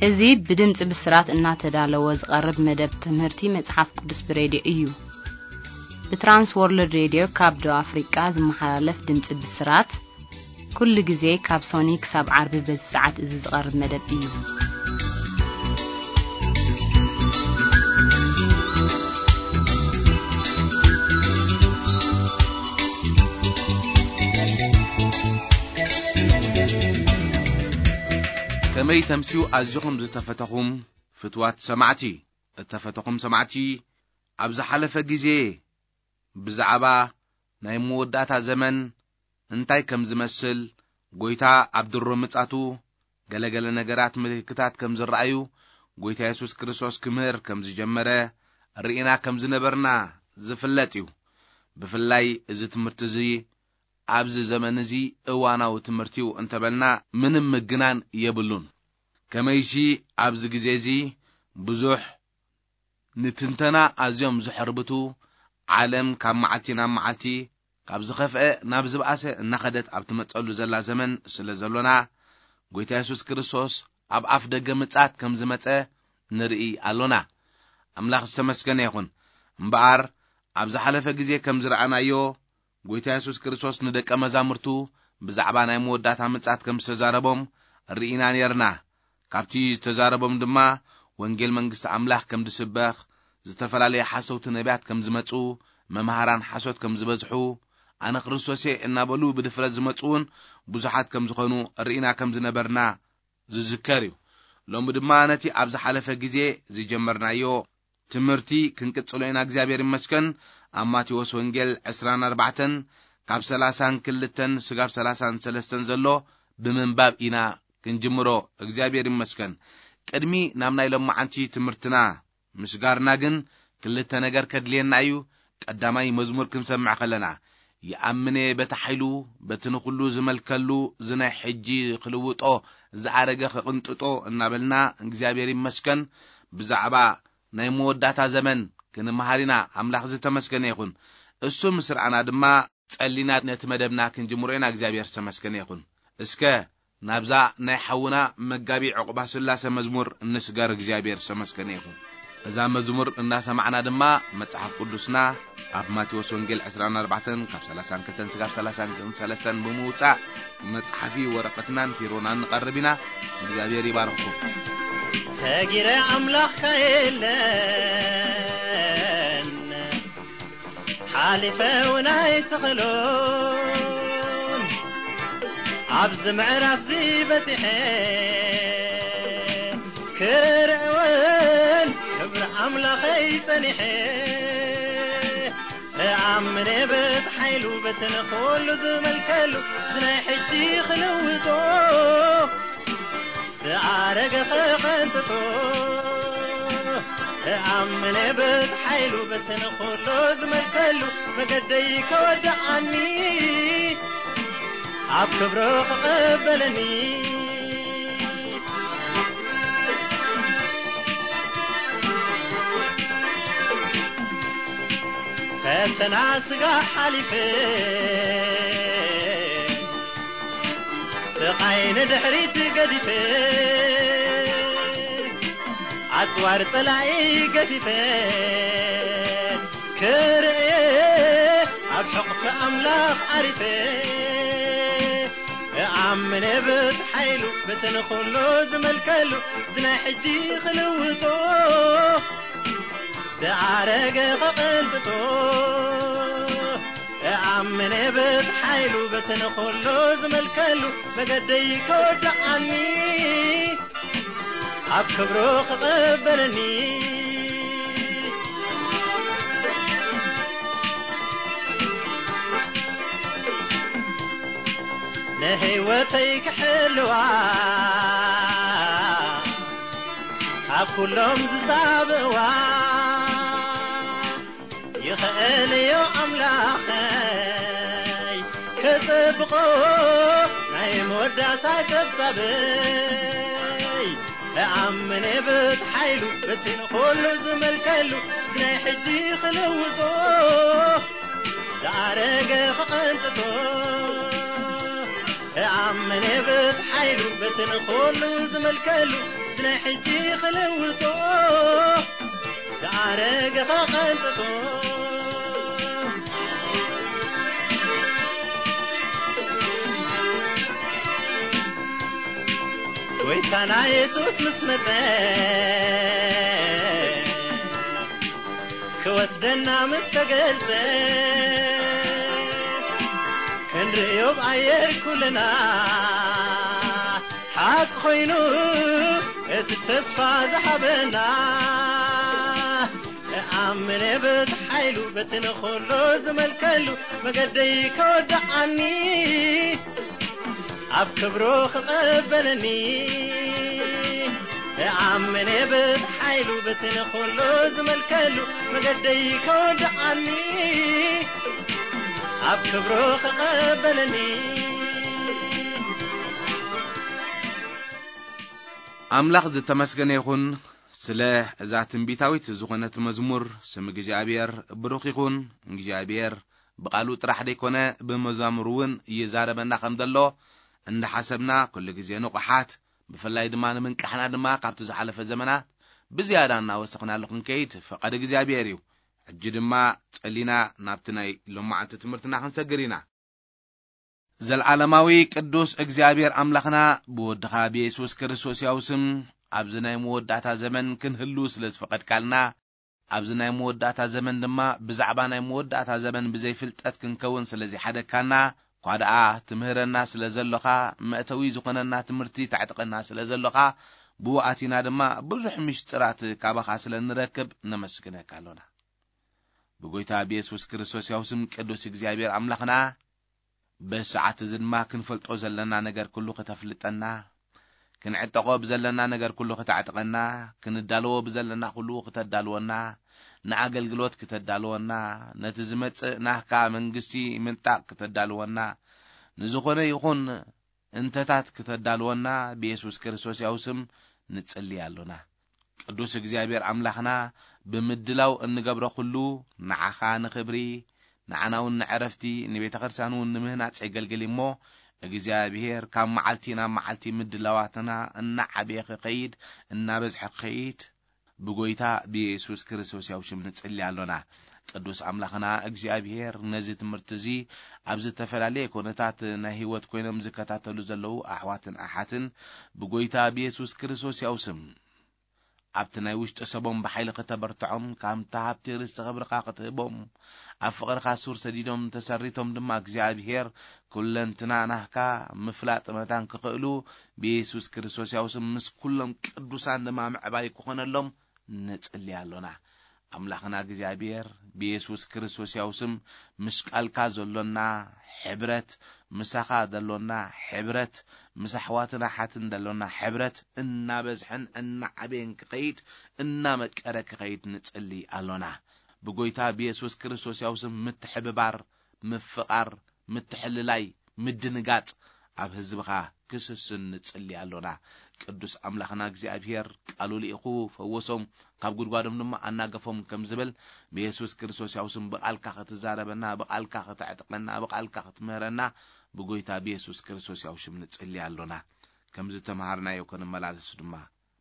እዚ ብድምፂ ብስራት እናተዳለወ ዝቐርብ መደብ ትምህርቲ መጽሓፍ ቅዱስ ብሬድዮ እዩ። ብትራንስ ወርልድ ሬድዮ ካብ ደቡብ ኣፍሪቃ ዝመሓላለፍ ድምፂ ብስራት፣ ኩሉ ግዜ ካብ ሶኒ ክሳብ ዓርቢ በዚ ሰዓት እዚ ዝቐርብ መደብ እዩ። ከመይ ተምስዩ ኣዚኹም ዝተፈተኹም ፍትዋት ሰማዕቲ። እተፈተኹም ሰማዕቲ፣ ኣብ ዝሓለፈ ግዜ ብዛዕባ ናይ መወዳእታ ዘመን እንታይ ከም ዝመስል፣ ጎይታ ኣብ ድሮ ምጻቱ ገለገለ ነገራት ምልክታት ከም ዝረኣዩ፣ ጎይታ የሱስ ክርስቶስ ክምህር ከም ዝጀመረ ርኢና ከም ዝነበርና ዝፍለጥ እዩ። ብፍላይ እዚ ትምህርቲ እዚ ኣብዚ ዘመን እዚ እዋናዊ ትምህርቲ እዩ እንተበልና ምንም ምግናን የብሉን። ከመይሲ ኣብዚ ግዜ እዚ ብዙሕ ንትንተና ኣዝዮም ዝሕርብቱ፣ ዓለም ካብ መዓልቲ ናብ መዓልቲ ካብ ዝኸፍአ ናብ ዝበኣሰ እናኸደት ኣብ ትመጸሉ ዘላ ዘመን ስለ ዘሎና፣ ጎይታ የሱስ ክርስቶስ ኣብ ኣፍ ደገ ምጽኣት ከም ዝመጸ ንርኢ ኣሎና። ኣምላኽ ዝተመስገነ ይኹን። እምበኣር ኣብ ዝሓለፈ ግዜ ከም ዝረኣናዮ፣ ጎይታ የሱስ ክርስቶስ ንደቀ መዛሙርቱ ብዛዕባ ናይ መወዳእታ ምጽኣት ከም ዝተዛረቦም ርኢና ኔርና። ካብቲ ዝተዛረቦም ድማ፣ ወንጌል መንግስቲ ኣምላኽ ከም ዝስበኽ፣ ዝተፈላለዩ ሓሰውቲ ነቢያት ከም ዝመጹ፣ መምሃራን ሓሶት ከም ዝበዝሑ፣ ኣነ ክርስቶስ እየ እናበሉ ብድፍረት ዝመጹ እውን ብዙሓት ከም ዝኾኑ ርኢና ከም ዝነበርና ዝዝከር እዩ። ሎሚ ድማ ነቲ ኣብ ዝሓለፈ ግዜ ዝጀመርናዮ ትምህርቲ ክንቅጽሎ ኢና። እግዚኣብሔር ይመስገን። ኣብ ማቴዎስ ወንጌል ዕስራን ኣርባዕተን ካብ ሰላሳን ክልተን ስጋብ ሰላሳን ሰለስተን ዘሎ ብምንባብ ኢና ክንጅምሮ። እግዚኣብሔር ይመስገን። ቅድሚ ናብ ናይ ሎማዓንቲ ትምህርትና ምስጋርና ግን ክልተ ነገር ከድልየና እዩ። ቀዳማይ መዝሙር ክንሰምዕ ከለና፣ "ይኣምነ በቲ ሓይሉ በቲ ንኹሉ ዝመልከሉ ዝናይ ሕጂ ክልውጦ ዝኣረገ ክቕንጥጦ" እናበልና እግዚኣብሔር ይመስገን ብዛዕባ ናይ መወዳእታ ዘመን ክንመሃር ኢና። ኣምላኽ ዝተመስገነ ይኹን። እሱ ምስ ረኣና ድማ ጸሊና ነቲ መደብና ክንጅምሮ ኢና። እግዚኣብሔር ዝተመስገነ ይኹን። እስከ ናብዛ ናይ ሓውና መጋቢ ዕቑባ ስላሰ መዝሙር እንስገር። እግዚኣብሔር ዝተመስገነ ይኹን። እዛ መዝሙር እናሰማዕና ድማ መጽሓፍ ቅዱስና ኣብ ማቴዎስ ወንጌል ዕስራን ኣርባዕተን ካብ ሰላሳን ክልተን ስጋብ ሰላሳን ሰለስተን ብምውጻእ መጽሓፊ ወረቐትናን ፊሮናን ንቐርብ ኢና። እግዚኣብሔር ይባርኽኩም። ሰጊረ ኣምላኽካ የለን፣ ሓሊፈ እውን ኣይትኽእሎን። ኣብዚ ምዕራፍዚ በጺሐ ክርእውን ክብሪ ኣምላኸይ ጸኒሐ። እኣምነ በቲ ሓይሉ በቲ ንኹሉ ዝመልከሉ፣ እዚ ናይ ሕጂ ክልውጦ ዝኣረገ ኸቐንጥጦ። እኣምነ በቲ ሓይሉ በቲ ንኹሉ ዝመልከሉ፣ መገደይ ከወድኣኒ ኣብ ክብሩ ክቐበለኒ። ፈተና ስጋ ሓሊፈ፣ ስቓይ ንድሕሪት ገዲፈ፣ ኣጽዋር ጸላኢ ገፊፈ፣ ክርእየ ኣብ ሕቕፊ ኣምላኽ ዓሪፈ። እኣምን ብቲ ሓይሉ በቲ ንኹሉ ዝመልከሉ፣ እዚ ናይ ሕጂ ክልውጦ፣ ዝኣረገ ክቕንጥጦ። እኣምን ብቲ ሓይሉ በቲ ንኹሉ ዝመልከሉ፣ መገደይ ከወድኣኒ፣ ኣብ ክብሩ ክቕበለኒ። ንህይወተይ ክሕልዋ ካብ ኩሎም ዝጻብእዋ፣ ይኽእልዮ ኣምላኸይ ክጽብቆ ናይ መወዳእታ ጸብጻበይ። እኣምን ብቲ ሓይሉ በቲ ንኹሉ ዝመልከሉ፣ እዚ ናይ ሕጂ ክልውጦ፣ ዝኣረገ ክቕንጥጦ። እኣምን ብቲ ሓይሉ በቲ ንኹሉ ዝመልከሉ፣ ናይ ሕጂ ክልውጦ ዝኣረገኻ ቀንጥጦ። ጎይታና የሱስ ምስ መጸ ክወስደና ምስ ተገልጸ ክንርእዮ ብኣየር ኩልና ሓቂ ኮይኑ እቲ ተስፋ ዝሃበና። እኣምን እየ በቲ ሓይሉ በቲ ንኹሉ ዝመልከሉ መገደይ ከወድኣኒ ኣብ ክብሩ ክቐበለኒ። እኣምን እየ በቲ ሓይሉ በቲ ንኹሉ ዝመልከሉ መገደይ ከወድኣኒ ኣብ ክብሩ ክቐበለኒ። ኣምላኽ ዝተመስገነ ይኹን ስለ እዛ ትንቢታዊት ዝኾነት መዝሙር። ስም እግዚኣብሔር ብሩኽ ይኹን። እግዚኣብሔር ብቓሉ ጥራሕ ደይኮነ ብመዛሙር እውን ይዛረበና ከም ዘሎ እንዳሓሰብና ኩሉ ግዜ ንቑሓት፣ ብፍላይ ድማ ንምንቃሕና ድማ ካብቲ ዝሓለፈ ዘመናት ብዝያዳ እናወሰኽናሉ ክንከይድ ፈቓድ እግዚኣብሔር እዩ። ሕጂ ድማ ጸሊና ናብቲ ናይ ሎማዓንቲ ትምህርትና ክንሰግር ኢና። ዘልዓለማዊ ቅዱስ እግዚኣብሔር ኣምላኽና ብወድኻ ብየሱስ ክርስቶስ ያው ስም ኣብዚ ናይ መወዳእታ ዘመን ክንህሉ ስለ ዝፈቐድካልና፣ ኣብዚ ናይ መወዳእታ ዘመን ድማ ብዛዕባ ናይ መወዳእታ ዘመን ብዘይፍልጠት ክንከውን ስለ ዘይሓደግካና፣ እኳ ደኣ ትምህረና ስለ ዘሎኻ፣ መእተዊ ዝኾነና ትምህርቲ ተዕጥቀና ስለ ዘሎኻ፣ ብኡ ኣቲና ድማ ብዙሕ ምሽጥራት ካባኻ ስለ ንረክብ ነመስግነካ ኣሎና። ብጎይታ ብየሱስ ክርስቶስ ያው ስም ቅዱስ እግዚኣብሔር ኣምላኽና፣ በዚ ሰዓት እዚ ድማ ክንፈልጦ ዘለና ነገር ኩሉ ክተፍልጠና፣ ክንዕጠቖ ብዘለና ነገር ኩሉ ክተዕጥቀና፣ ክንዳለዎ ብዘለና ኩሉ ክተዳልወና፣ ንኣገልግሎት ክተዳልወና፣ ነቲ ዝመጽእ ናህካ መንግስቲ ምንጣቕ ክተዳልወና፣ ንዝኾነ ይኹን እንተታት ክተዳልወና ብየሱስ ክርስቶስ ያው ስም ንጽሊ ኣሎና። ቅዱስ እግዚኣብሔር ኣምላኽና፣ ብምድላው እንገብሮ ኩሉ ንዓኻ ንኽብሪ፣ ንዓና እውን ንዕረፍቲ፣ ንቤተ ክርስቲያን እውን ንምህናጽ የገልግል እሞ፣ እግዚኣብሔር ካብ መዓልቲ ናብ መዓልቲ ምድላዋትና እናዓበየ ክኸይድ፣ እናበዝሐ ክኸይድ፣ ብጎይታ ብየሱስ ክርስቶስ ያው ሽም ንጽሊ ኣሎና። ቅዱስ ኣምላኽና እግዚኣብሔር፣ ነዚ ትምህርቲ እዚ ኣብ ዝተፈላለየ ኮነታት ናይ ህይወት ኮይኖም ዝከታተሉ ዘለዉ ኣሕዋትን ኣሓትን፣ ብጎይታ ብየሱስ ክርስቶስ ያው ስም ኣብቲ ናይ ውሽጢ ሰቦም ብሓይሊ ክተበርትዖም፣ ካብቲ ሃብቲ ርስቲ ክብርኻ ክትህቦም፣ ኣብ ፍቕርኻ ሱር ሰዲዶም ተሰሪቶም ድማ እግዚኣብሔር ኩለንትና ናህካ ምፍላጥ መታን ክኽእሉ ብየሱስ ክርስቶስ ያው ስም ምስ ኩሎም ቅዱሳን ድማ ምዕባይ ክኾነሎም ንጽሊ ኣሎና። ኣምላኽና እግዚኣብሔር ብየሱስ ክርስቶስ ያው ስም ምስ ቃልካ ዘሎና ሕብረት፣ ምሳኻ ዘሎና ሕብረት፣ ምስ ኣሕዋትን ኣሓትን ዘሎና ሕብረት እናበዝሐን እናዓበየን ክኸይድ፣ እናመቀረ ክኸይድ ንጽሊ ኣሎና። ብጎይታ ብየሱስ ክርስቶስ ያው ስም ምትሕብባር፣ ምፍቓር፣ ምትሕልላይ፣ ምድንጋጽ ኣብ ህዝብኻ ክስስን ንጽሊ ኣሎና። ቅዱስ ኣምላኽና እግዚኣብሔር ቃሉ ልኢኹ ፈወሶም፣ ካብ ጉድጓዶም ድማ ኣናገፎም ከም ዝብል፣ ብየሱስ ክርስቶስ ያው ስም ብቓልካ ክትዛረበና፣ ብቓልካ ከተዕጥቀና፣ ብቓልካ ክትምህረና ብጎይታ ብየሱስ ክርስቶስ ያው ሽም ንጽሊ ኣሎና። ከም ዝተምሃርናዮ ክንመላለስ ድማ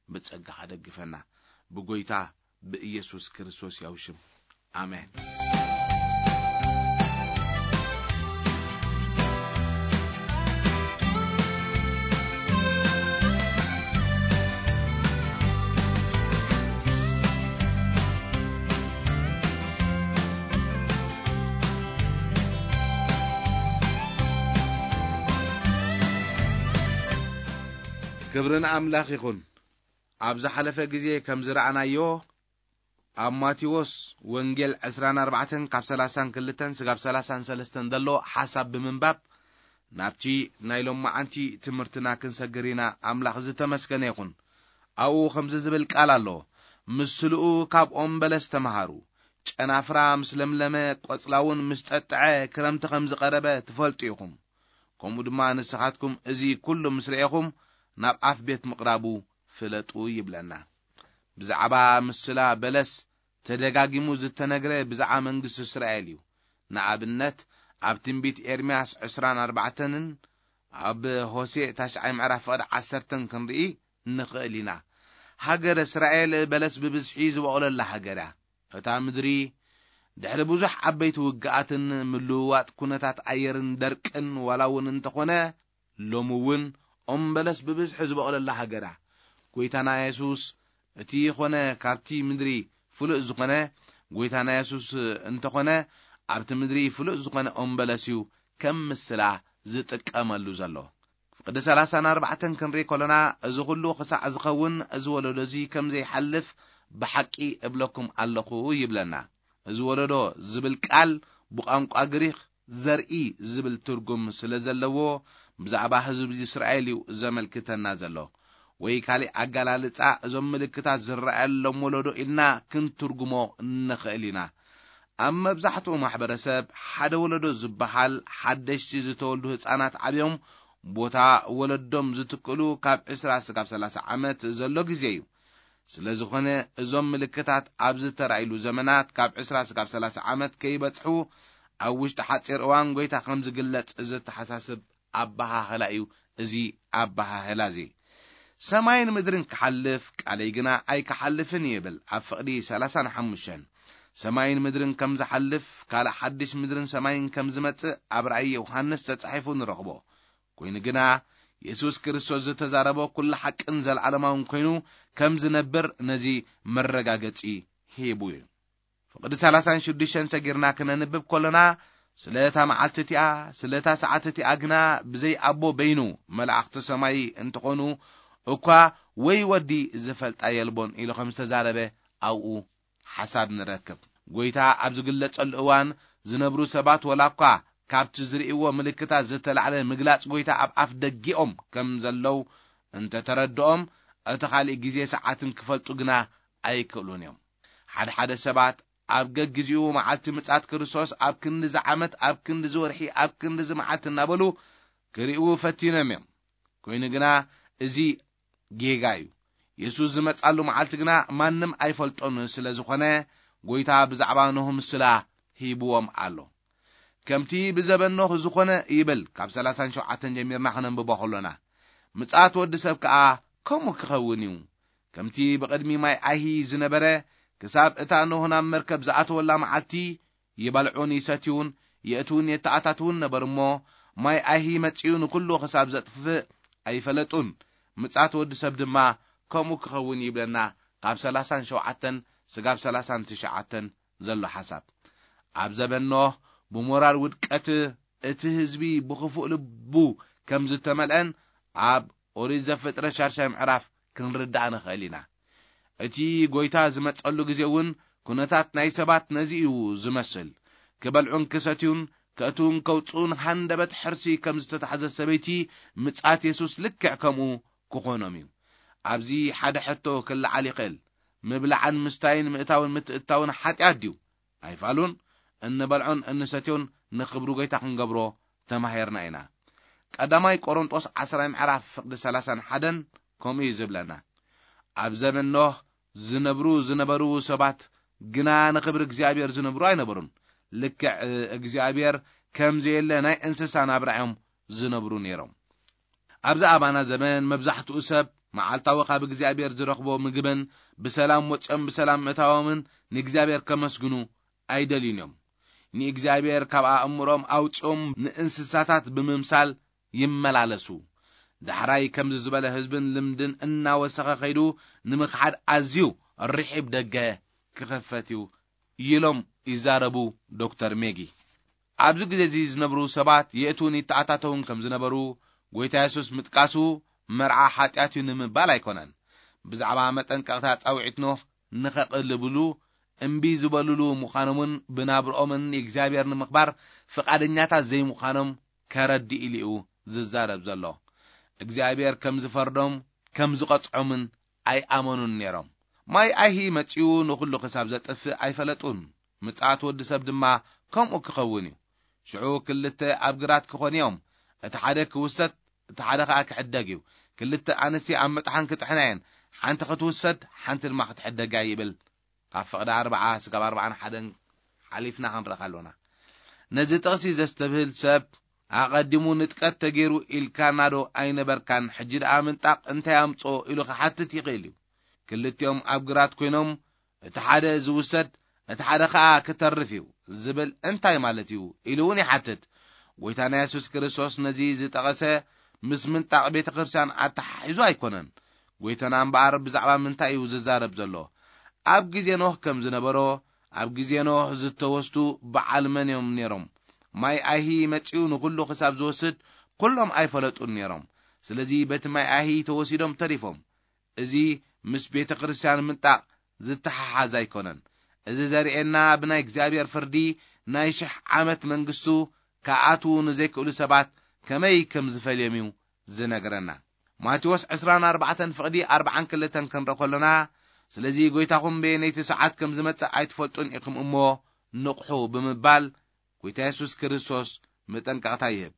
ብጸጋኻ ደግፈና። ብጎይታ ብኢየሱስ ክርስቶስ ያው ሽም፣ ኣሜን። ክብሪ ንኣምላኽ ይኹን። ኣብ ዝሓለፈ ግዜ ከም ዝረኣናዮ፣ ኣብ ማቴዎስ ወንጌል ዕስራን ኣርባዕተን ካብ ሰላሳን ክልተን ስጋብ ሰላሳን ሰለስተን ዘሎ ሓሳብ ብምንባብ፣ ናብቲ ናይ ሎማዓንቲ ትምህርትና ክንሰግር ኢና። ኣምላኽ ዝተመስገነ ይኹን። ኣብኡ ከምዚ ዝብል ቃል ኣሎ፣ "ምስልኡ ካብ ኦም በለስ ተመሃሩ። ጨናፍራ ምስ ለምለመ፣ ቆጽላ እውን ምስ ጠጥዐ፣ ክረምቲ ከም ዝቐረበ ትፈልጡ ኢኹም። ከምኡ ድማ ንስኻትኩም እዚ ኩሉ ምስ ረኤኹም፣ ናብ ኣፍ ቤት ምቕራቡ ፍለጡ" ይብለና። ብዛዕባ ምስላ በለስ ተደጋጊሙ ዝተነግረ ብዛዕባ መንግስቲ እስራኤል እዩ። ንኣብነት፣ ኣብ ትንቢት ኤርምያስ ዕስራን ኣርባዕተንን ኣብ ሆሴዕ ታሽዓይ ምዕራፍ ፍቕዲ ዓሰርተን ክንርኢ ንኽእል ኢና። ሃገረ እስራኤል በለስ ብብዝሒ ዝበቑለላ ሃገር እያ። እታ ምድሪ ድሕሪ ብዙሕ ዓበይቲ ውግኣትን ምልውዋጥ ኩነታት ኣየርን ደርቅን ዋላ እውን እንተኾነ፣ ሎሚ እውን ኦም በለስ ብብዝሒ ዝበቑለላ ሃገር እያ። ጎይታና የሱስ እቲ ኾነ ካብቲ ምድሪ ፍሉጥ ዝኾነ፣ ጎይታና የሱስ እንተኾነ ኣብቲ ምድሪ ፍሉጥ ዝኾነ ኦም በለስ እዩ ከም ምስላ ዝጥቀመሉ ዘሎ። ፍቕዲ ሰላሳን ኣርባዕተን ክንርኢ ከሎና፣ እዚ ኩሉ ክሳዕ ዝኸውን እዚ ወለዶ እዚ ከም ዘይሓልፍ ብሓቂ እብለኩም ኣለኹ ይብለና። እዚ ወለዶ ዝብል ቃል ብቋንቋ ግሪኽ ዘርኢ ዝብል ትርጉም ስለ ዘለዎ፣ ብዛዕባ ህዝቢ እስራኤል እዩ ዘመልክተና ዘሎ። ወይ ካልእ ኣገላልጻ፣ እዞም ምልክታት ዝረኣየሎም ወለዶ ኢልና ክንትርጉሞ ንኽእል ኢና። ኣብ መብዛሕትኡ ማሕበረሰብ፣ ሓደ ወለዶ ዝበሃል ሓደሽቲ ዝተወልዱ ህጻናት ዓብዮም ቦታ ወለዶም ዝትክእሉ ካብ ዕስራ እስካብ ሰላሳ ዓመት ዘሎ ግዜ እዩ። ስለ ዝኾነ፣ እዞም ምልክታት ኣብ ዝተራእይሉ ዘመናት ካብ ዕስራ እስካብ ሰላሳ ዓመት ከይበጽሑ፣ ኣብ ውሽጢ ሓጺር እዋን ጎይታ ከም ዝግለጽ ዘተሓሳስብ ኣበሃህላ እዩ። እዚ ኣበሃህላ እዚ፣ ሰማይን ምድርን ክሓልፍ፣ ቃለይ ግና ኣይክሓልፍን ይብል ኣብ ፍቕዲ ሰላሳን ሓሙሽተን። ሰማይን ምድርን ከም ዝሓልፍ፣ ካልእ ሓድሽ ምድርን ሰማይን ከም ዝመጽእ ኣብ ራእይ ዮሃንስ ተጻሒፉ ንረኽቦ። ኮይኑ ግና፣ የሱስ ክርስቶስ ዝተዛረቦ ኩሉ ሓቅን ዘለዓለማውን ኮይኑ ከም ዝነብር ነዚ መረጋገጺ ሂቡ እዩ። ፍቕዲ ሰላሳን ሽዱሽተን ሰጊርና ክነንብብ ከሎና፣ ስለ እታ መዓልቲ እቲኣ፣ ስለ እታ ሰዓት እቲኣ ግና ብዘይ ኣቦ በይኑ፣ መላእኽቲ ሰማይ እንተኾኑ እኳ ወይ ወዲ ዝፈልጣ የልቦን ኢሉ ከም ዝተዛረበ ኣብኡ ሓሳብ ንረክብ። ጎይታ ኣብ ዝግለጸሉ እዋን ዝነብሩ ሰባት ወላ እኳ ካብቲ ዝርእይዎ ምልክታት ዝተላዕለ ምግላጽ ጎይታ ኣብ ኣፍ ደጊኦም ከም ዘለዉ እንተተረድኦም፣ እቲ ካልእ ግዜ ሰዓትን ክፈልጡ ግና ኣይክእሉን እዮም። ሓደ ሓደ ሰባት ኣብ ገግዜኡ መዓልቲ ምጽኣት ክርስቶስ ኣብ ክንዲ ዝዓመት፣ ኣብ ክንዲ ዝወርሒ፣ ኣብ ክንዲ ዝመዓልቲ እናበሉ ክርእዩ ፈቲኖም እዮም። ኮይኑ ግና እዚ ጌጋ እዩ። የሱስ ዝመጻሉ መዓልቲ ግና ማንም ኣይፈልጦን ስለ ዝኾነ፣ ጎይታ ብዛዕባ ኖህ ምስላ ሂብዎም ኣሎ። ከምቲ ብዘበን ኖህ ዝኾነ ይብል፣ ካብ ሰላሳን ሸውዓተን ጀሚርና ክነንብቦ ከሎና፣ ምጽኣት ወዲ ሰብ ከኣ ከምኡ ክኸውን እዩ። ከምቲ ብቕድሚ ማይ ኣይሂ ዝነበረ፣ ክሳብ እታ ኖህ ናብ መርከብ ዝኣተወላ መዓልቲ፣ ይበልዑን ይሰትዩን፣ የእትዉን የተኣታትዉን ነበሩ እሞ፣ ማይ ኣይሂ መጺኡ ንኹሉ ክሳብ ዘጥፍእ ኣይፈለጡን። ምጽኣት ወዲ ሰብ ድማ ከምኡ ክኸውን ይብለና፣ ካብ ሰላሳን ሸውዓተን ስጋብ ሰላሳን ትሽዓተን ዘሎ ሓሳብ። ኣብ ዘበን ኖህ ብሞራል ውድቀት እቲ ህዝቢ ብኽፉእ ልቡ ከም ዝተመልአን ኣብ ኦሪት ዘፍጥረት ሻድሻይ ምዕራፍ ክንርዳእ ንኽእል ኢና። እቲ ጎይታ ዝመጸሉ ግዜ እውን ኩነታት ናይ ሰባት ነዚ እዩ ዝመስል። ክበልዑን ክሰትዩን፣ ከእትዉን ከውጽኡን ሃንደበት ሕርሲ ከም ዝተታሕዘ ሰበይቲ፣ ምጽኣት የሱስ ልክዕ ከምኡ ክኾኖም እዩ። ኣብዚ ሓደ ሕቶ ክለዓል ይኽእል። ምብላዕን ምስታይን፣ ምእታውን ምትእትታውን ሓጢኣት ድዩ? ኣይፋሉን። እንበልዖን እንሰትዮን ንኽብሪ ጎይታ ክንገብሮ ተማሂርና ኢና። ቀዳማይ ቆሮንጦስ ዓስራይ ምዕራፍ ፍቕዲ ሰላሳን ሓደን ከምኡ እዩ ዝብለና። ኣብ ዘመን ኖህ ዝነብሩ ዝነበሩ ሰባት ግና ንኽብሪ እግዚኣብሔር ዝነብሩ ኣይነበሩን። ልክዕ እግዚኣብሔር ከም ዘየለ ናይ እንስሳ ናብራ እዮም ዝነብሩ ነይሮም። ኣብዚ ኣባና ዘመን መብዛሕትኡ ሰብ መዓልታዊ ካብ እግዚኣብሔር ዝረኽቦ ምግብን ብሰላም ወፂኦም ብሰላም ምእታዎምን ንእግዚኣብሔር ከመስግኑ ኣይደልዩን እዮም። ንእግዚኣብሔር ካብ ኣእምሮም ኣውፂኦም ንእንስሳታት ብምምሳል ይመላለሱ። ዳሕራይ ከምዚ ዝበለ ህዝብን ልምድን እናወሰኸ ከይዱ ንምኽሓድ ኣዝዩ ርሒብ ደገ ክኸፈት እዩ ኢሎም ይዛረቡ ዶክተር ሜጊ። ኣብዚ ግዜ እዚ ዝነብሩ ሰባት የእትዉን ይተኣታተዉን ከም ዝነበሩ ጎይታ የሱስ ምጥቃሱ መርዓ ሓጢኣት እዩ ንምባል ኣይኮነን። ብዛዕባ መጠንቀቕታ ጻውዒት ኖህ ንኸቕልብሉ እምቢ ዝበልሉ ምዃኖምን ብናብርኦምን ንእግዚኣብሔር ንምኽባር ፍቓደኛታት ዘይምዃኖም ከረድእ ኢሉ እዩ ዝዛረብ ዘሎ። እግዚኣብሔር ከም ዝፈርዶም ከም ዝቐጽዖምን ኣይኣመኑን ነይሮም። ማይ ኣይሂ መጺኡ ንኹሉ ክሳብ ዘጥፍእ ኣይፈለጡን። ምጽኣት ወዲ ሰብ ድማ ከምኡ ክኸውን እዩ። ሽዑ ክልተ ኣብ ግራት ክኾኑ እዮም፣ እቲ ሓደ ክውሰድ፣ እቲ ሓደ ኸኣ ክሕደግ እዩ። ክልተ ኣንስቲ ኣብ መጥሓን ክጥሕና እየን፣ ሓንቲ ክትውሰድ፣ ሓንቲ ድማ ክትሕደግ እያ ይብል። ካብ ፍቕዲ ኣርብዓ ስጋብ ኣርብዓን ሓደን ሓሊፍና ክንረኻ ኣሎና። ነዚ ጥቕሲ ዘስተብህል ሰብ፣ ኣቐዲሙ ንጥቀት ተገይሩ ኢልካናዶ ኣይነበርካን? ሕጂ ደኣ ምንጣቕ እንታይ ኣምጾ? ኢሉ ክሓትት ይኽእል እዩ። ክልቲኦም ኣብ ግራት ኮይኖም፣ እቲ ሓደ ዝውሰድ፣ እቲ ሓደ ኸኣ ክተርፍ እዩ ዝብል እንታይ ማለት እዩ? ኢሉ እውን ይሓትት። ጎይታና የሱስ ክርስቶስ ነዚ ዝጠቐሰ ምስ ምንጣቕ ቤተ ክርስቲያን ኣተሓሒዙ ኣይኮነን። ጎይታና እምበኣር ብዛዕባ ምንታይ እዩ ዝዛረብ ዘሎ? ኣብ ግዜ ኖህ ከም ዝነበሮ፣ ኣብ ግዜ ኖህ ዝተወስዱ በዓል መን እዮም ነይሮም? ማይ ኣይሂ መጺኡ ንኹሉ ክሳብ ዝወስድ ኩሎም ኣይፈለጡን ነይሮም። ስለዚ በቲ ማይ ኣይሂ ተወሲዶም ተሪፎም። እዚ ምስ ቤተ ክርስቲያን ምንጣቕ ዝተሓሓዝ ኣይኮነን። እዚ ዘርእየና ብናይ እግዚኣብሔር ፍርዲ ናይ ሽሕ ዓመት መንግስቱ ክኣትዉ ንዘይክእሉ ሰባት ከመይ ከም ዝፈልዮም እዩ ዝነግረና። ማቴዎስ ዕስራን ኣርባዕተን ፍቕዲ ኣርባዓን ክልተን ክንርኢ ከሎና፣ ስለዚ ጎይታኹም በየነይቲ ሰዓት ከም ዝመጽእ ኣይትፈልጡን ኢኹም እሞ ንቕሑ ብምባል ጎይታ የሱስ ክርስቶስ መጠንቀቕታ ይህብ።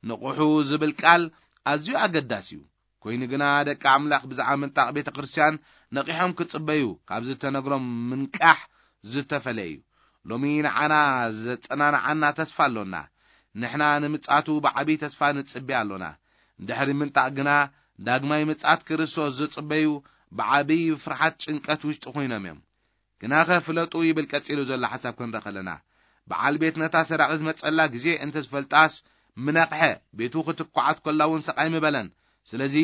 ንቕሑ ዝብል ቃል ኣዝዩ ኣገዳሲ እዩ። ኮይኑ ግና ደቂ ኣምላኽ ብዛዕባ ምንጣቕ ቤተ ክርስቲያን ነቒሖም ክጽበዩ ካብ ዝተነግሮም ምንቃሕ ዝተፈለየ እዩ። ሎሚ ንዓና ዘጸናንዓና ተስፋ ኣሎና። ንሕና ንምጽኣቱ ብዓብዪ ተስፋ ንጽበ ኣሎና። ድሕሪ ምንጣቕ ግና ዳግማይ ምጽኣት ክርስቶስ ዝጽበዩ ብዓብዪ ፍርሓት ጭንቀት ውሽጢ ኮይኖም እዮም። ግናኸ ፍለጡ ይብል ቀጺሉ ዘሎ ሓሳብ ክንርኢ ከለና፣ በዓል ቤት ነታ ሰራቒት ዝመጸላ ግዜ እንተ ዝፈልጣስ ምነቕሐ፣ ቤቱ ክትኳዓት ኮላ እውን ሰቓይ ምበለን። ስለዚ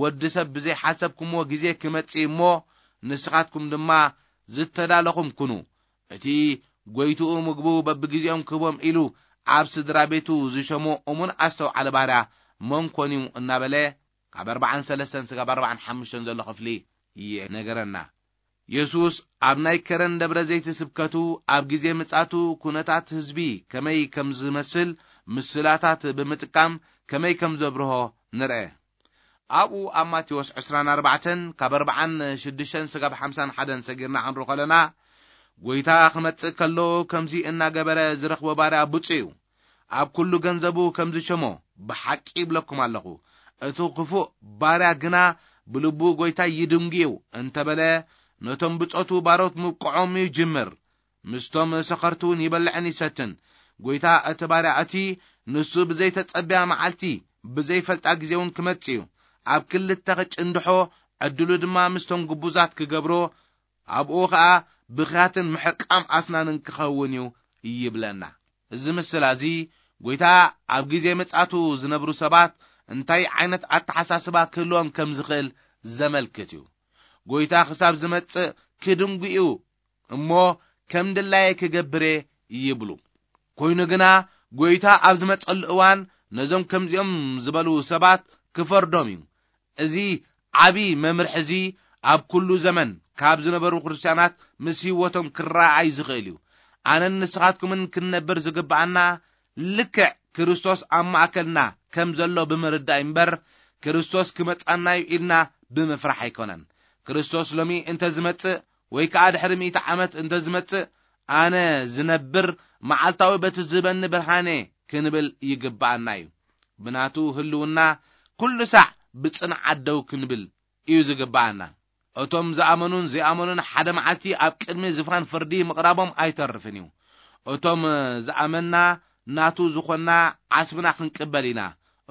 ወዲ ሰብ ብዘይ ሓሰብኩምዎ ግዜ ክመጽእ እሞ ንስኻትኩም ድማ ዝተዳለኹም ኩኑ። እቲ ጎይትኡ ምግቡ በብግዜኦም ክህቦም ኢሉ ኣብ ስድራ ቤቱ ዝሸሞ እሙን ኣስተውዓሊ ባርያ መን ኮን እዩ እናበለ ካብ ኣርባዓን ሰለስተን ስጋብ ኣርባዓን ሓሙሽተን ዘሎ ክፍሊ ይነገረና። የሱስ ኣብ ናይ ከረን ደብረ ዘይት ስብከቱ ኣብ ግዜ ምጻቱ ኩነታት ህዝቢ ከመይ ከም ዝመስል ምስላታት ብምጥቃም ከመይ ከም ዘብርሆ ንርአ። ኣብኡ ኣብ ማቴዎስ ዕስራን ኣርባዕተን ካብ ኣርባዓን ሽዱሽተን ስጋብ ሓምሳን ሓደን ሰጊርና ክንርኢ ከለና፣ ጎይታ ክመጽእ ከሎ ከምዚ እናገበረ ዝረኽቦ ባርያ ብፁዕ እዩ። ኣብ ኩሉ ገንዘቡ ከም ዝሸሞ ብሓቂ ይብለኩም ኣለኹ። እቲ ክፉእ ባርያ ግና ብልቡ ጎይታ ይድንጉ እዩ እንተበለ፣ ነቶም ብጾቱ ባሮት ምብቅዖም ይጅምር። ምስቶም ሰኸርቲ እውን ይበልዕን ይሰትን። ጎይታ እቲ ባርያ እቲ ንሱ ብዘይተጸብያ መዓልቲ ብዘይፈልጣ ግዜ እውን ክመጽእ እዩ። ኣብ ክልተ ክጭንድሖ ዕድሉ ድማ ምስቶም ግቡዛት ክገብሮ፣ ኣብኡ ኸኣ ብኽያትን ምሕቃም ኣስናንን ክኸውን እዩ ይብለና። እዚ ምስላ እዚ ጎይታ ኣብ ግዜ ምጽኣቱ ዝነብሩ ሰባት እንታይ ዓይነት ኣተሓሳስባ ክህልዎም ከም ዝኽእል ዘመልክት እዩ። ጎይታ ክሳብ ዝመጽእ ክድንጉ እዩ እሞ ከም ድላየ ክገብር እየ ይብሉ። ኮይኑ ግና ጎይታ ኣብ ዝመጸሉ እዋን ነዞም ከምዚኦም ዝበሉ ሰባት ክፈርዶም እዩ። እዚ ዓቢ መምርሒ እዚ ኣብ ኩሉ ዘመን ካብ ዝነበሩ ክርስትያናት ምስ ህይወቶም ክረኣይ ዝኽእል እዩ። ኣነን ንስኻትኩምን ክንነብር ዝግብኣና ልክዕ ክርስቶስ ኣብ ማእከልና ከም ዘሎ ብምርዳእ እምበር፣ ክርስቶስ ክመጻና እዩ ኢልና ብምፍራሕ ኣይኮነን። ክርስቶስ ሎሚ እንተ ዝመጽእ ወይ ከኣ ድሕሪ ሚእቲ ዓመት እንተ ዝመጽእ፣ ኣነ ዝነብር መዓልታዊ በቲ ዝህበኒ ብርሃነ ክንብል ይግብኣና እዩ። ብናቱ ህልውና ኩሉ ሳዕ ብጽንዓት ደው ክንብል እዩ ዝግብኣና። እቶም ዝኣመኑን ዘይኣመኑን ሓደ መዓልቲ ኣብ ቅድሚ ዝፋን ፍርዲ ምቕራቦም ኣይተርፍን እዩ። እቶም ዝኣመንና ናቱ ዝኾንና ዓስብና ክንቅበል ኢና።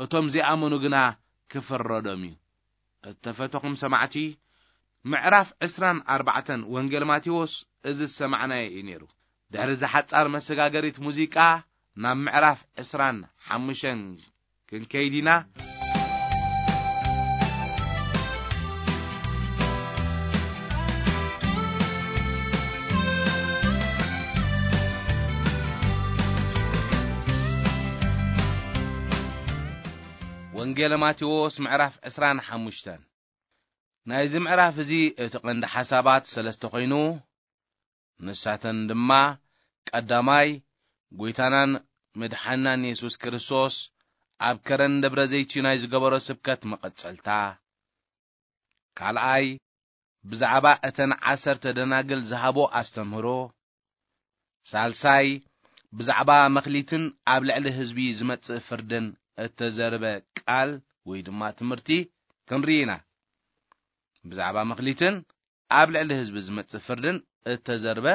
እቶም ዘይኣመኑ ግና ክፍረዶም እዩ። እተፈተኹም ሰማዕቲ፣ ምዕራፍ ዕስራን ኣርባዕተን ወንጌል ማቴዎስ እዚ ዝሰማዕናዮ እዩ ነይሩ። ድሕሪ እዚ ሓጻር መሰጋገሪት ሙዚቃ ናብ ምዕራፍ ዕስራን ሓሙሽተን ክንከይድ ኢና። ወንጌል ማቴዎስ ምዕራፍ ዕስራን ሓሙሽተን። ናይዚ ምዕራፍ እዚ እቲ ቀንዲ ሓሳባት ሰለስተ ኮይኑ፣ ንሳተን ድማ፣ ቀዳማይ፣ ጎይታናን መድሓናን የሱስ ክርስቶስ ኣብ ከረን ደብረ ዘይት ናይ ዝገበሮ ስብከት መቐጸልታ፣ ካልኣይ፣ ብዛዕባ እተን ዓሰርተ ደናግል ዝሃቦ ኣስተምህሮ፣ ሳልሳይ፣ ብዛዕባ መኽሊትን ኣብ ልዕሊ ህዝቢ ዝመጽእ ፍርድን እተዘርበ ቃል ወይ ድማ ትምህርቲ ክንርኢ ኢና። ብዛዕባ መኽሊትን ኣብ ልዕሊ ህዝቢ ዝመጽእ ፍርድን እተዘርበ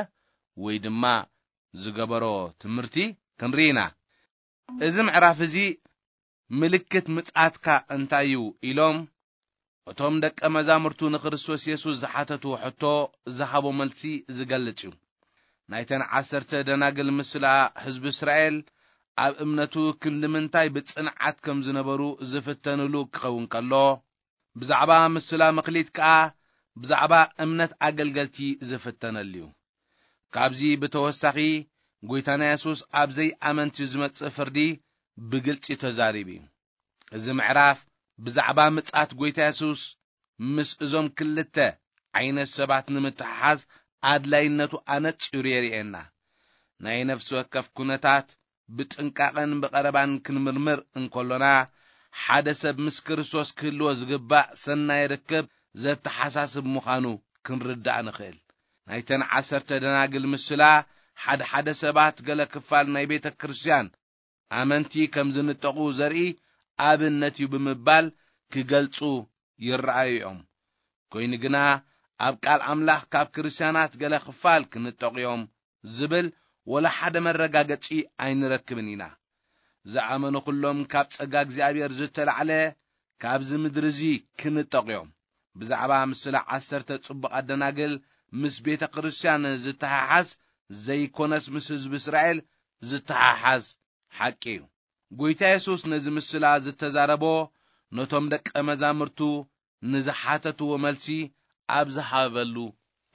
ወይ ድማ ዝገበሮ ትምህርቲ ክንርኢ ኢና። እዚ ምዕራፍ እዚ ምልክት ምጽኣትካ እንታይ እዩ ኢሎም እቶም ደቀ መዛሙርቱ ንክርስቶስ የሱስ ዝሓተትዎ ሕቶ ዝሃቦ መልሲ ዝገልጽ እዩ። ናይተን ዓሰርተ ደናግል ምስላ ህዝቢ እስራኤል ኣብ እምነቱ ክንዲ ምንታይ ብጽንዓት ከም ዝነበሩ ዝፍተንሉ ክኸውን ከሎ፣ ብዛዕባ ምስላ መክሊት ከኣ ብዛዕባ እምነት ኣገልገልቲ ዝፍተነሉ እዩ። ካብዚ ብተወሳኺ፣ ጎይታና የሱስ ኣብ ዘይኣመንቲ ዝመጽእ ፍርዲ ብግልጺ ተዛሪቡ እዩ። እዚ ምዕራፍ ብዛዕባ ምጽኣት ጎይታ የሱስ ምስ እዞም ክልተ ዓይነት ሰባት ንምትሕሓዝ ኣድላይነቱ ኣነጺሩ የርእየና። ናይ ነፍሲ ወከፍ ኩነታት ብጥንቃቐን ብቐረባን ክንምርምር እንከሎና፣ ሓደ ሰብ ምስ ክርስቶስ ክህልዎ ዝግባእ ሰናይ ርክብ ዘተሓሳስብ ምዃኑ ክንርዳእ ንኽእል። ናይተን ዓሰርተ ደናግል ምስላ፣ ሓደ ሓደ ሰባት ገለ ክፋል ናይ ቤተ ክርስቲያን ኣመንቲ ከም ዝንጠቑ ዘርኢ ኣብነት እዩ ብምባል ክገልጹ ይረኣዩ እዮም። ኮይኑ ግና፣ ኣብ ቃል ኣምላኽ ካብ ክርስትያናት ገለ ክፋል ክንጠቑ እዮም ዝብል ወላ ሓደ መረጋገጺ ኣይንረክብን ኢና። ዝኣመኑ ኩሎም ካብ ጸጋ እግዚኣብሔር ዝተላዕለ ካብዚ ምድሪ እዚ ክንጠቑ እዮም። ብዛዕባ ምስላ ዓሰርተ ጽቡቓት ደናግል ምስ ቤተ ክርስቲያን ዝተሓሓዝ ዘይኮነስ ምስ ህዝቢ እስራኤል ዝተሓሓዝ ሓቂ እዩ። ጎይታ የሱስ ነዚ ምስላ ዝተዛረቦ ነቶም ደቀ መዛሙርቱ ንዝሓተትዎ መልሲ ኣብ ዝሃበሉ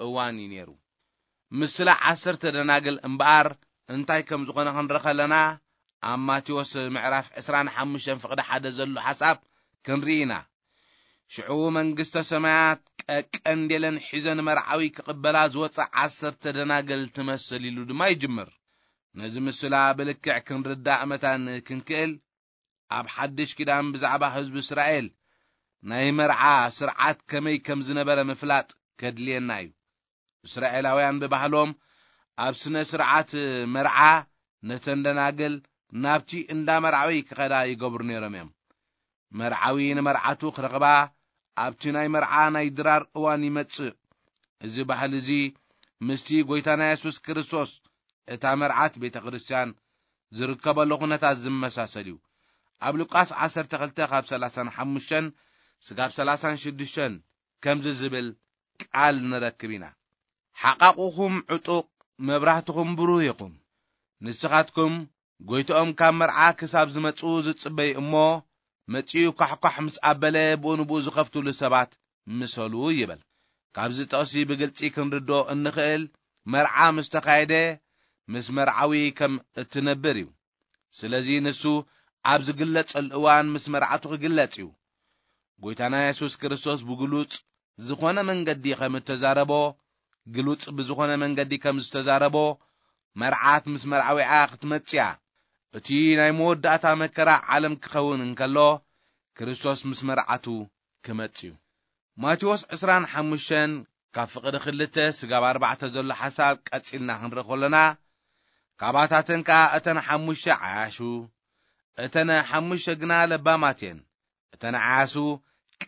እዋን እዩ ነይሩ። ምስላ ዓሰርተ ደናግል እምበኣር እንታይ ከም ዝኾነ ክንርኢ ከለና፣ ኣብ ማቴዎስ ምዕራፍ ዕስራን ሓሙሽተን ፍቕዲ ሓደ ዘሎ ሓሳብ ክንርኢ ኢና። ሽዑ መንግስተ ሰማያት ቀቀንዴለን ሒዘን መርዓዊ ክቕበላ ዝወጻ ዓሰርተ ደናግል ትመስል ኢሉ ድማ ይጅምር። ነዚ ምስላ ብልክዕ ክንርዳእ መታን ክንክእል፣ ኣብ ሓድሽ ኪዳን ብዛዕባ ህዝቢ እስራኤል ናይ መርዓ ስርዓት ከመይ ከም ዝነበረ ምፍላጥ ከድልየና እዩ። እስራኤላውያን ብባህሎም ኣብ ስነ ስርዓት መርዓ ነተን ደናግል ናብቲ እንዳ መርዓዊ ክኸዳ ይገብሩ ነይሮም እዮም። መርዓዊ ንመርዓቱ ክረኽባ ኣብቲ ናይ መርዓ ናይ ድራር እዋን ይመጽእ። እዚ ባህሊ እዚ ምስቲ ጎይታና የሱስ ክርስቶስ፣ እታ መርዓት ቤተ ክርስቲያን፣ ዝርከበሉ ኩነታት ዝመሳሰል እዩ። ኣብ ሉቃስ ዓሰርተ ክልተ ካብ ሰላሳን ሓሙሽተን ስጋብ ሰላሳን ሽዱሽተን ከምዚ ዝብል ቃል ንረክብ ኢና። ሓቃቑኹም ዕጡቕ፣ መብራህትኹም ብሩህ ይኹን። ንስኻትኩም ጎይትኦም ካብ መርዓ ክሳብ ዝመጽኡ ዝጽበዩ እሞ፣ መጺኡ ኳሕኳሕ ምስ ኣበለ ብኡ ንብኡ ዝኸፍትሉ ሰባት ምሰሉ ይብል። ካብዚ ጥቕሲ ብግልጺ ክንርድኦ እንኽእል፣ መርዓ ምስ ተኻየደ ምስ መርዓዊ ከም እትነብር እዩ። ስለዚ ንሱ ኣብ ዝግለጸሉ እዋን ምስ መርዓቱ ክግለጽ እዩ። ጎይታና የሱስ ክርስቶስ ብግሉጽ ዝኾነ መንገዲ ከም እተዛረቦ፣ ግሉጽ ብዝኾነ መንገዲ ከም ዝተዛረቦ፣ መርዓት ምስ መርዓዊዓ ክትመጽእ እያ። እቲ ናይ መወዳእታ መከራ ዓለም ክኸውን እንከሎ፣ ክርስቶስ ምስ መርዓቱ ክመጽእ እዩ። ማቴዎስ ዕስራን ሓሙሽተን ካብ ፍቕዲ ክልተ ስጋብ ኣርባዕተ ዘሎ ሓሳብ ቀጺልና ክንርኢ ከሎና፣ ካባታተን ከኣ እተን ሓሙሽተ ዓያሹ፣ እተን ሓሙሽተ ግና ለባማት እየን። እተን ዓያሱ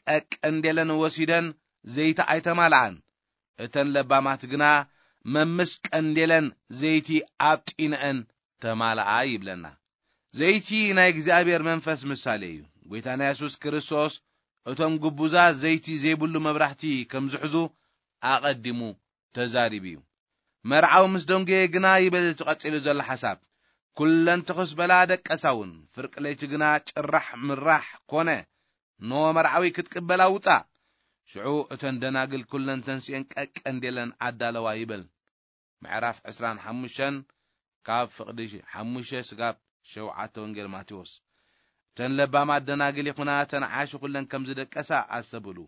ቀቀንዴለን ወሲደን ዘይቲ ኣይተማልኣን። እተን ለባማት ግና መምስ ቀንዴለን ዘይቲ ኣብጢነአን ተማልኣ ይብለና። ዘይቲ ናይ እግዚኣብሔር መንፈስ ምሳሌ እዩ። ጎይታና የሱስ ክርስቶስ እቶም ግቡዛት ዘይቲ ዘይብሉ መብራህቲ ከም ዝሕዙ ኣቐዲሙ ተዛሪቡ እዩ። መርዓዊ ምስ ደንጎየ ግና ይብል እቲ ቀጺሉ ዘሎ ሓሳብ፣ ኩለን ትኹስ በላ ደቀሳ እውን፣ ፍርቂ ለይቲ ግና ጭራሕ ምራሕ ኮነ። ኖ መርዓዊ ክትቅበላ ውጻእ። ሽዑ እተን ደናግል ኩለን ተንሲኤን ቀቀንዴለን ኣዳለዋ ይብል። ምዕራፍ ዕስራን ሓሙሽተን ካብ ፍቕዲ ሓሙሽተ ስጋብ ሸውዓተ ወንጌል ማቴዎስ። እተን ለባማት ደናግል ይኹና እተን ዓያሹ ኩለን ከም ዝደቀሳ ኣስተብህሉ።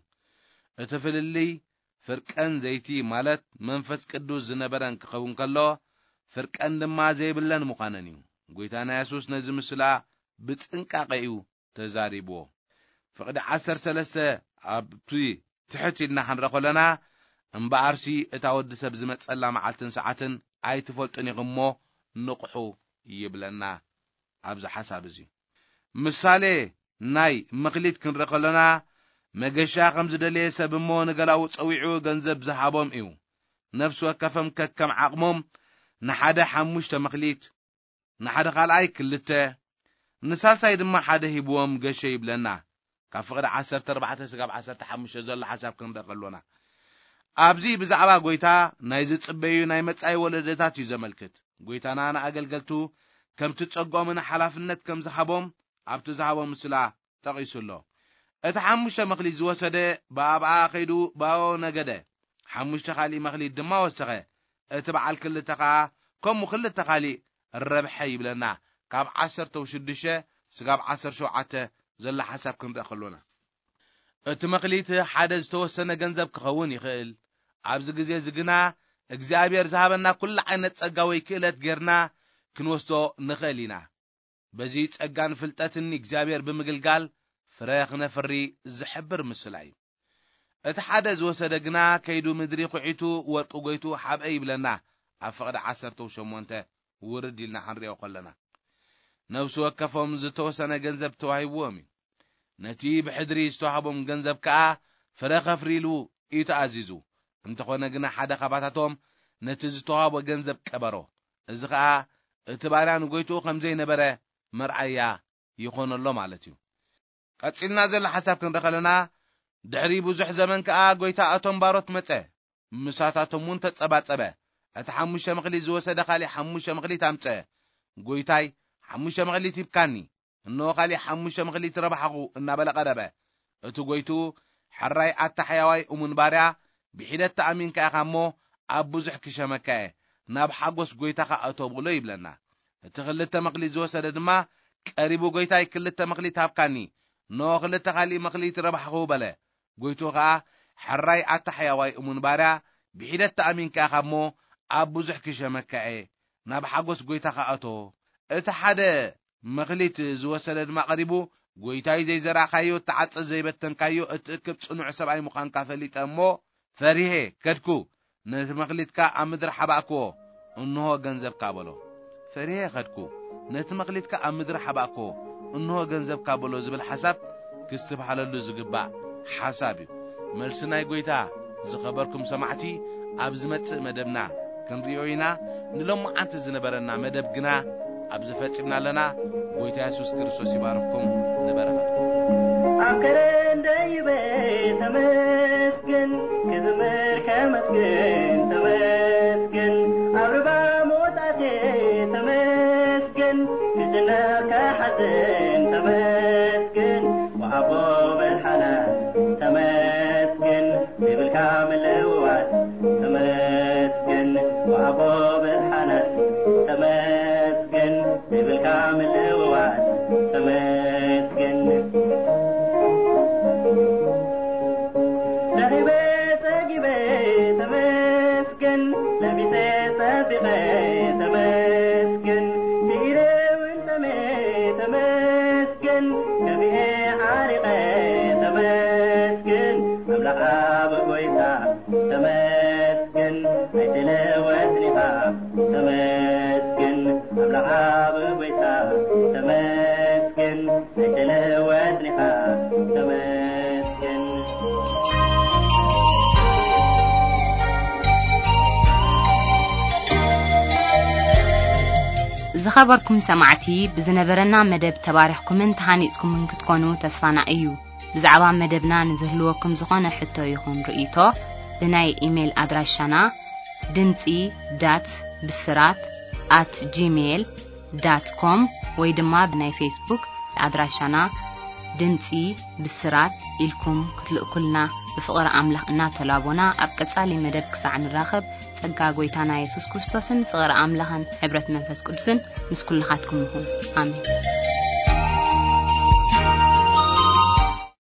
እቲ ፍልልይ ፍርቀን ዘይቲ ማለት መንፈስ ቅዱስ ዝነበረን ክኸውን ከሎ፣ ፍርቀን ድማ ዘይብለን ምዃነን እዩ። ጎይታና የሱስ ነዚ ምስላ ብጥንቃቐ እዩ ተዛሪብዎ። ፍቕዲ ዓሰርተ ሰለስተ ኣብቲ ትሕት ኢልና ክንረ ከሎና፣ እምበኣርሲ እታ ወዲ ሰብ ዝመጸላ መዓልትን ሰዓትን ኣይትፈልጡን ኢኹም እሞ ንቕሑ ይብለና። ኣብዚ ሓሳብ እዚ ምሳሌ ናይ መክሊት ክንረ ከሎና፣ መገሻ ከም ዝደለየ ሰብ እሞ ንገላዉ ጸዊዑ ገንዘብ ዝሃቦም እዩ። ነፍሲ ወከፈም ከከም ዓቕሞም ንሓደ ሓሙሽተ መክሊት፣ ንሓደ ካልኣይ ክልተ፣ ንሳልሳይ ድማ ሓደ ሂብዎም ገሸ ይብለና። ካብ ፍቕዲ ዓሰርተ ኣርባዕተ ስጋብ ዓሰርተ ሓሙሽተ ዘሎ ሓሳብ ክንርኢ ከሎና፣ ኣብዚ ብዛዕባ ጎይታ ናይ ዝጽበዩ ናይ መጻኢ ወለደታት እዩ ዘመልክት። ጎይታና ንኣገልገልቱ ከምቲ ጸጎምን ሓላፍነት ከም ዝሃቦም ኣብቲ ዝሃቦ ምስላ ጠቒሱ ኣሎ። እቲ ሓሙሽተ መኽሊት ዝወሰደ ብኣብኣ ኸይዱ ብኣኦ ነገደ። ሓሙሽተ ኻሊእ መኽሊት ድማ ወሰኸ። እቲ በዓል ክልተ ኸኣ ከምኡ ክልተ ኻሊእ ረብሐ ይብለና። ካብ ዓሰርተ ሽዱሽተ ስጋብ ዓሰርተ ሸውዓተ ዘሎ ሓሳብ ክንርኢ ከሎና፣ እቲ መኽሊት ሓደ ዝተወሰነ ገንዘብ ክኸውን ይኽእል። ኣብዚ ግዜ እዚ ግና እግዚኣብሔር ዝሃበና ኩሉ ዓይነት ጸጋ ወይ ክእለት ጌርና ክንወስዶ ንኽእል ኢና። በዚ ጸጋን ፍልጠትን እግዚኣብሔር ብምግልጋል ፍረ ክነፍሪ ዝሕብር ምስላ እዩ። እቲ ሓደ ዝወሰደ ግና ከይዱ ምድሪ ኩዒቱ ወርቂ ጎይቱ ሓብአ ይብለና። ኣብ ፍቕዲ ዓሰርተ ሸሞንተ ውርድ ኢልና ክንሪኦ ከለና፣ ነፍሲ ወከፎም ዝተወሰነ ገንዘብ ተዋሂብዎም እዩ። ነቲ ብሕድሪ ዝተዋህቦም ገንዘብ ከኣ ፍረ ከፍርይሉ እዩ ተኣዚዙ። እንተኾነ ግና ሓደ ካባታቶም ነቲ ዝተዋህቦ ገንዘብ ቀበሮ። እዚ ኸኣ እቲ ባርያ ንጎይትኡ ከም ዘይነበረ መርኣያ ይኾነሎ ማለት እዩ። ቀጺልና ዘሎ ሓሳብ ክንርኢ ከለና፣ ድሕሪ ብዙሕ ዘመን ከኣ ጎይታ እቶም ባሮት መጸ። ምሳታቶም እውን ተጸባጸበ። እቲ ሓሙሽተ መኽሊት ዝወሰደ ካሊእ ሓሙሽተ መኽሊት ኣምጸ። ጎይታይ፣ ሓሙሽተ መኽሊት ሂብካኒ፣ እንሆ ካሊእ ሓሙሽተ መኽሊት ረባሕኹ እናበለ ቀረበ። እቲ ጎይቱ፣ ሕራይ ኣታ ሕያዋይ እሙን ባርያ፣ ብሒደት ተኣሚንካ ኢኻ እሞ ኣብ ብዙሕ ክሸመካ እየ፣ ናብ ሓጎስ ጎይታኻ እቶ ብሎ ይብለና። እቲ ክልተ መኽሊት ዝወሰደ ድማ ቀሪቡ፣ ጎይታይ፣ ክልተ መኽሊት ሃብካኒ፣ እንሆ ክልተ ካሊእ መኽሊት ረባሕኹ በለ። ጎይቱ ኸኣ፣ ሕራይ ኣታ ሕያዋይ እሙን ባርያ፣ ብሒደት ተኣሚንካ ኢኻ እሞ ኣብ ብዙሕ ክሸመካ እየ፣ ናብ ሓጎስ ጎይታኻ እቶ። እቲ ሓደ መኽሊት ዝወሰደ ድማ ቀሪቡ፣ ጎይታይ፣ ዘይዘራእካዮ እትዓጽድ ዘይበተንካዮ እትእክብ ጽኑዕ ሰብኣይ ምዃንካ ፈሊጠ እሞ ፈሪሄ ከድኩ፣ ነቲ መኽሊትካ ኣብ ምድሪ ሓባእክዎ፣ እንሆ ገንዘብካ በሎ። ፈሪሄ ከድኩ፣ ነቲ መኽሊትካ ኣብ ምድሪ ሓባእክዎ፣ እንሆ ገንዘብካ በሎ ዝብል ሓሳብ ክስትብሃለሉ ዝግባእ ሓሳብ እዩ። መልሲ ናይ ጎይታ ዝኸበርኩም ሰማዕቲ ኣብ ዝመጽእ መደብና ክንርእዮ ኢና። ንሎማዓንቲ ዝነበረና መደብ ግና ኣብዚ ፈጺምና ኣለና። ጎይታ የሱስ ክርስቶስ ይባርኽኩም። ንበረኸትኩም። ኣብ ከረን ደይበ ተመስገን፣ ክዝምር ከመስግን ተመስገን፣ ኣብ ርባ መውጣቴ ተመስገን፣ ክጭነቕ ከሓዝን ተመስገን፣ ወኣቦ መድሓና ተመስገን፣ ዘይብልካ ምልውዋጥ ተመስገን፣ ወኣቦ መድሓና ተመስገን፣ ዘይብልካ ምልውዋጥ ተመስገን። ደኺበ ጸጊበ ተመስገን፣ ለቢሰ ጸቢቐ ተመስገን፣ ስኢረ እውን ጠምየ ተመስገን፣ ከፊኤ ዓሪቐ ተመስገን፣ ኣምላኽ ኣብ ጎይታ ተመስገን፣ ኣይትለወጥን ኢኻ ተመስገን፣ ኣምላኽ ኣብ ጎይታ ተመስገን፣ ኣይትለወጥን ኢኻ ተመስገን። ዝኸበርኩም ሰማዕቲ፣ ብዝነበረና መደብ ተባሪኽኩምን ተሃኒጽኩምን ክትኮኑ ተስፋና እዩ። ብዛዕባ መደብና ንዝህልወኩም ዝኾነ ሕቶ ይኹን ርእይቶ፣ ብናይ ኢሜይል ኣድራሻና ድምጺ ዳት ብስራት ኣት ጂሜይል ዳት ኮም ወይ ድማ ብናይ ፌስቡክ ኣድራሻና ድምጺ ብስራት ኢልኩም ክትልእኩልና ብፍቕሪ ኣምላኽ እናተላቦና፣ ኣብ ቀጻሊ መደብ ክሳዕ ንራኸብ፣ ጸጋ ጎይታና የሱስ ክርስቶስን ፍቕሪ ኣምላኽን ሕብረት መንፈስ ቅዱስን ምስ ኩልኻትኩም ይኹን። ኣሜን።